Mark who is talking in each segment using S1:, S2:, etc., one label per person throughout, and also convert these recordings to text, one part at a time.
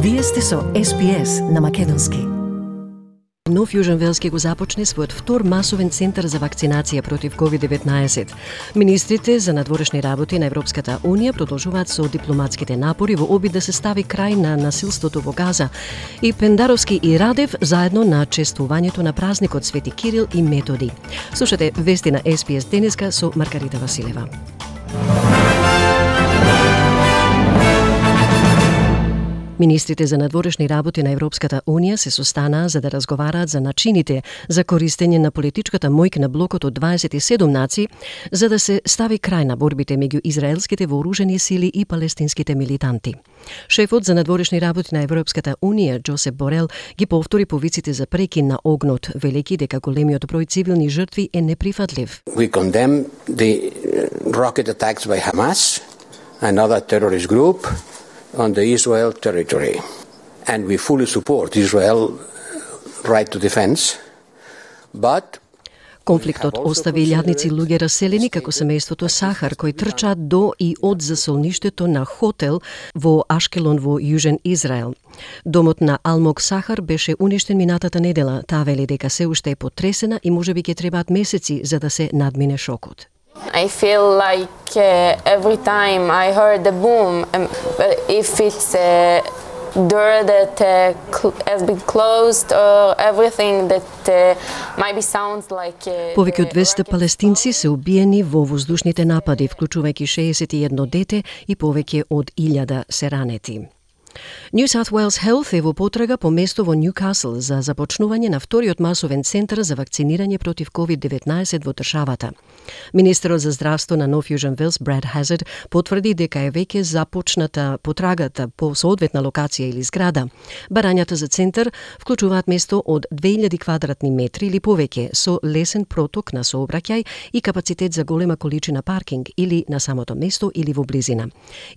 S1: Вие сте со SPS на македонски. Нов Јужен Велски го започне својот втор масовен центар за вакцинација против COVID-19. Министрите за надворешни работи на Европската Унија продолжуваат со дипломатските напори во обид да се стави крај на насилството во Газа. И Пендаровски и Радев заедно на чествувањето на празникот Свети Кирил и Методи. Слушате вести на SPS денеска со Маргарита Василева. Министрите за надворешни работи на Европската Унија се состанаа за да разговараат за начините за користење на политичката моќ на блокот од 27 нации за да се стави крај на борбите меѓу израелските вооружени сили и палестинските милитанти. Шефот за надворешни работи на Европската Унија, Джосеп Борел, ги повтори повиците за прекин на огнот, велики дека големиот број цивилни жртви е неприфатлив.
S2: We condemn the rocket attacks by Hamas, another terrorist group, on the Israel territory, and we fully support Israel's right to defense, but
S1: конфликтот остави илјадници луѓе раселени како семејството Сахар кои трчаат до и од засолништето на хотел во Ашкелон во Јужен Израел. Домот на Алмок Сахар беше уништен минатата недела. Таа вели дека се уште е потресена и можеби ќе требаат месеци за да се надмине шокот.
S3: I feel like every time I heard the boom, if it's a door that has been closed or everything that maybe sounds like...
S1: Повеќе од 200 палестинци се убиени во воздушните напади, вклучувајќи 61 дете и повеќе од 1000 се ранети. New South Wales Health е во потрага по место во Ньюкасл за започнување на вториот масовен центар за вакцинирање против COVID-19 во државата. Министерот за здравство на Нов Јужен Велс, Брад Хазард, потврди дека е веќе започната потрагата по соодветна локација или зграда. Барањата за центар вклучуваат место од 2000 квадратни метри или повеќе со лесен проток на сообраќај и капацитет за голема количина паркинг или на самото место или во близина.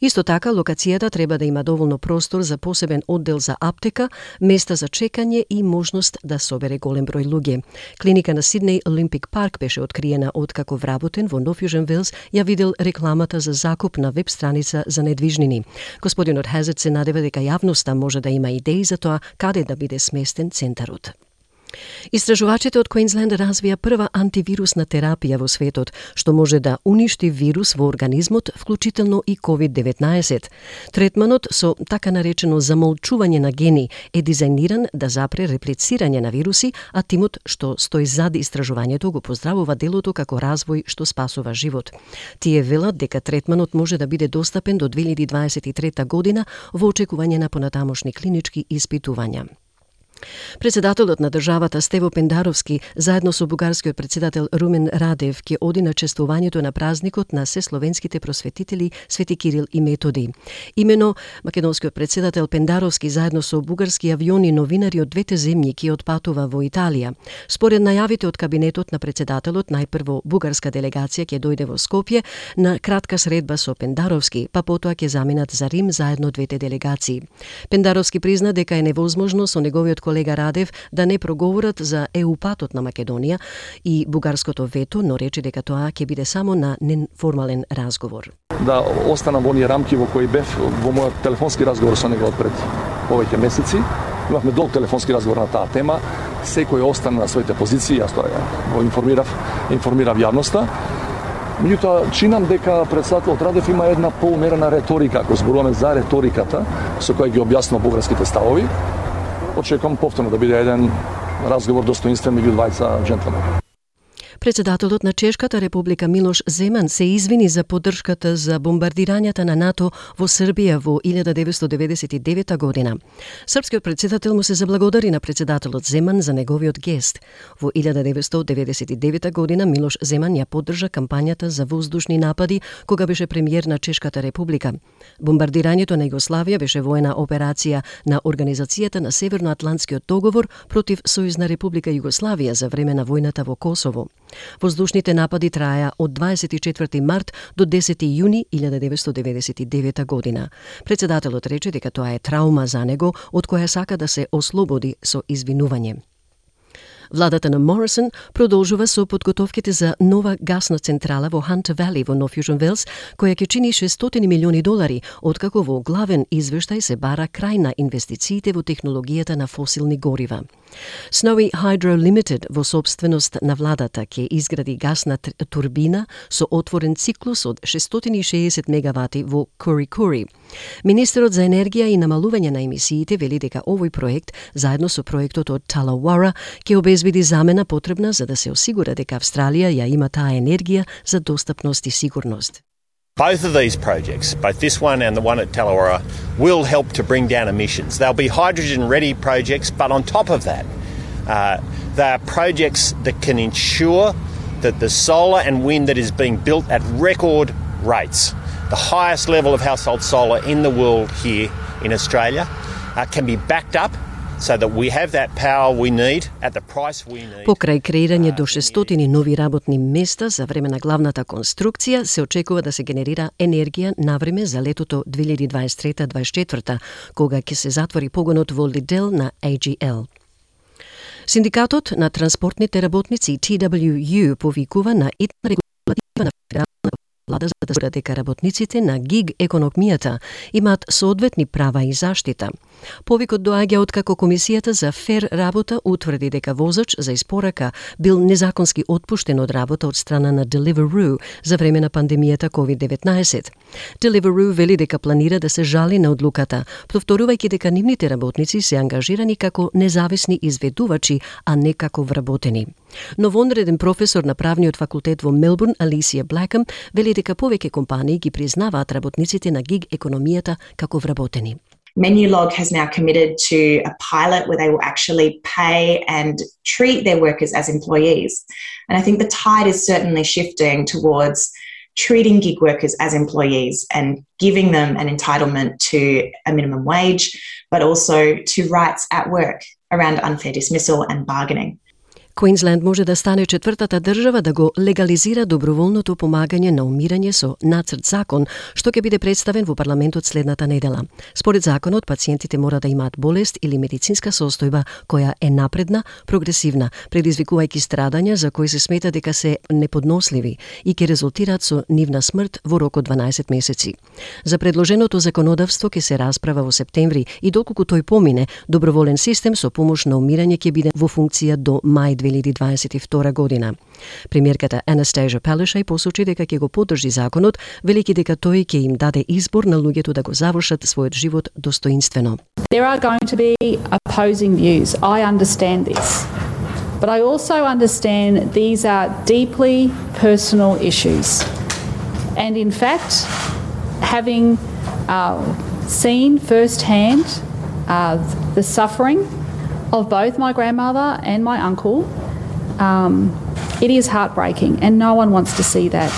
S1: Исто така, локацијата треба да има доволно простор за посебен оддел за аптека, места за чекање и можност да собере голем број луѓе. Клиника на Сиднеј Олимпик парк беше откриена откако вработен во Нов Јужен Велс ја видел рекламата за закуп на веб страница за недвижнини. Господинот Хазард се надева дека јавноста може да има идеи за тоа каде да биде сместен центарот. Истражувачите од Квинсленд развија прва антивирусна терапија во светот, што може да уништи вирус во организмот, вклучително и COVID-19. Третманот со така наречено замолчување на гени е дизајниран да запре реплицирање на вируси, а тимот што стои зад истражувањето го поздравува делото како развој што спасува живот. Тие велат дека третманот може да биде достапен до 2023 година во очекување на понатамошни клинички испитувања. Председателот на државата Стево Пендаровски заедно со бугарскиот председател Румен Радев ќе оди на чествувањето на празникот на сесловенските просветители Свети Кирил и Методи. Имено македонскиот председател Пендаровски заедно со бугарски авиони новинари од двете земји ќе отпатува во Италија. Според најавите од кабинетот на председателот, најпрво бугарска делегација ќе дојде во Скопје на кратка средба со Пендаровски, па потоа ќе заминат за Рим заедно двете делегации. Пендаровски призна дека е невозможно со неговиот колега Радев да не проговорат за ЕУ-патот на Македонија и бугарското вето, но рече дека тоа ќе биде само на неформален разговор.
S4: Да останам во оние рамки во кои бев во мојот телефонски разговор со него пред повеќе месеци. Имавме долг телефонски разговор на таа тема. Секој остана на своите позиции, јас тоа го информирав јавноста. Меѓутоа, чинам дека председателот Радев има една поумерена реторика, ако зборуваме за реториката со која ги објаснува бугарските ставови. Очекувам повторно да биде еден разговор достоинствен меѓу двајца џентлмени.
S1: Председателот на Чешката република Милош Земан се извини за поддршката за бомбардирањата на НАТО во Србија во 1999 година. Српскиот председател му се заблагодари на председателот Земан за неговиот гест. Во 1999 година Милош Земан ја поддржа кампањата за воздушни напади кога беше премиер на Чешката република. Бомбардирањето на Југославија беше воена операција на Организацијата на Северноатлантскиот договор против Сојузна република Југославија за време на војната во Косово. Воздушните напади траја од 24 март до 10 јуни 1999 година. Председателот рече дека тоа е траума за него, од која сака да се ослободи со извинување. Владата на Морисон продолжува со подготовките за нова гасна централа во Хантер Вали во Нов Јужен Велс, која ќе чини $600 милиони, откако во главен извештај се бара крај на инвестициите во технологијата на фосилни горива. Snowy Hydro Limited во собственост на владата ќе изгради гасна турбина со отворен циклус од 660 мегавати во Кури-Кури. Министерот за енергија и намалување на емисиите вели дека овој проект, заедно со проектот од Талауара, ќе обезбеди замена потребна за да се осигура дека Австралија ја има таа енергија за достапност и сигурност.
S5: Both of these projects, both this one and the one at Tallawarra, will help to bring down emissions. They'll be hydrogen-ready projects, but on top of that, they are projects that can ensure that the solar and wind that is being built at record rates, the highest level of household solar in the world here in Australia, can be backed up so that we have that power we need at the price we need.
S1: Покрај креирање до 600 нови работни места за време на главната конструкција, се очекува да се генерира енергија на време за летото 2023-2024, кога ќе се затвори погонот во Лидел на AGL. Синдикатот на транспортните работници TWU повикува на итна регулатива на федерална влада за да се дека работниците на гиг економијата имаат соодветни права и заштита. Повикот доаѓа откако Комисијата за фер работа утврди дека возач за испорака бил незаконски отпуштен од работа од страна на Deliveroo за време на пандемијата COVID-19. Deliveroo вели дека планира да се жали на одлуката, повторувајќи дека нивните работници се ангажирани како независни изведувачи, а не како вработени. Новонреден професор на правниот факултет во Мелбурн, Алисија Блакъм, вели дека повеќе компании ги признаваат работниците на гиг економијата како вработени.
S6: Menulog has now committed to a pilot where they will actually pay and treat their workers as employees. And I think the tide is certainly shifting towards treating gig workers as employees and giving them an entitlement to a minimum wage, but also to rights at work around unfair dismissal and bargaining.
S1: Квинсленд може да стане четвртата држава да го легализира доброволното помагање на умирање со нацрт закон, што ќе биде представен во парламентот следната недела. Според законот, пациентите мора да имаат болест или медицинска состојба која е напредна, прогресивна, предизвикувајќи страдања за кои се смета дека се неподносливи и ќе резултираат со нивна смрт во рок од 12 месеци. За предложеното законодавство ќе се расправа во септември и доколку тој помине, доброволен систем со помош на умирање ќе биде во функција до мај 2022 година. Премиерката Анастасија Палашај посочи дека ќе го поддржи законот, велики дека тој ќе им даде избор на луѓето да го завршат својот живот достоинствено.
S7: There are going to be opposing views. I understand this. But I also understand these are deeply personal issues. And in fact, having seen firsthand the suffering of both my grandmother and my uncle, it is heartbreaking and no one wants to see that.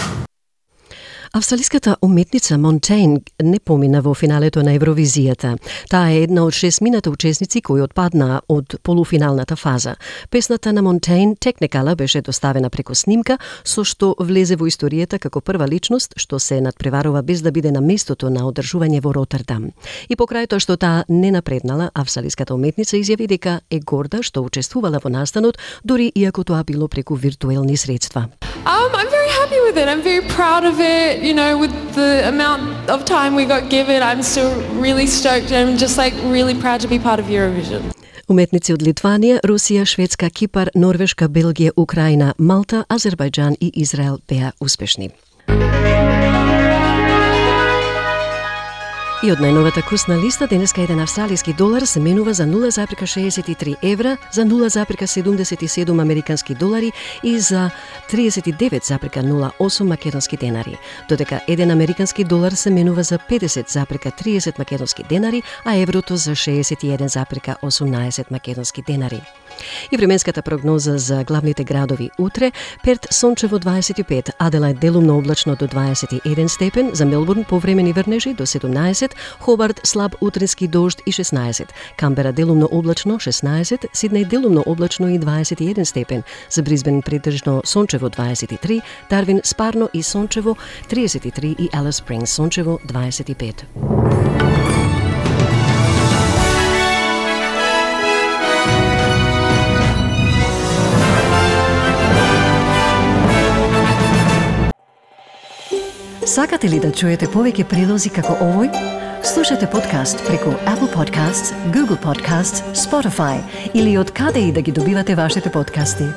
S1: Австралиската уметница Монтейн не помина во финалето на Евровизијата. Таа е една од 6 учесници кои отпаднаа од полуфиналната фаза. Песната на Монтейн, Technicolor, беше доставена преку снимка, со што влезе во историјата како прва личност што се надпреварува без да биде на местото на одржување во Ротердам. И покрај тоа што таа не напреднала, австралиската уметница изјави дека е горда што учествувала во настанот, дури иако тоа било преку виртуелни средства.
S8: I'm very happy with it. I'm very proud of it. You know, with the amount of time we got given, I'm still really stoked and I'm just like really proud to be part of Eurovision.
S1: Уметници од Литванија, Русија, Шведска, Кипар, Норвешка, Белгија, Украина, Малта, Азербајџан и Израел беа успешни. И од најновата курсна листа, денеска еден австралиски долар се менува за 0,63 евра, за 0,77 американски долари и за 39,08 македонски денари. Додека еден американски долар се менува за 50,30 македонски денари, а еврото за 61,18 македонски денари. И временската прогноза за главните градови утре: Перт сончево 25, Аделајд делумно облачно до 21 степен, за Мелбурн повремени врнежи до 17, Хобарт слаб утрински дожд и 16, Камбера делумно облачно 16, Сиднеј делумно облачно и 21 степен, за Брисбен преtežно сончево 23, Дарвин спарно и сончево 33 и Алис Спрингс сончево 25. Сакате ли да чуете повеќе прилози како овој? Слушате подкаст преку Apple Podcasts, Google Podcasts, Spotify или од каде и да ги добивате вашите подкасти.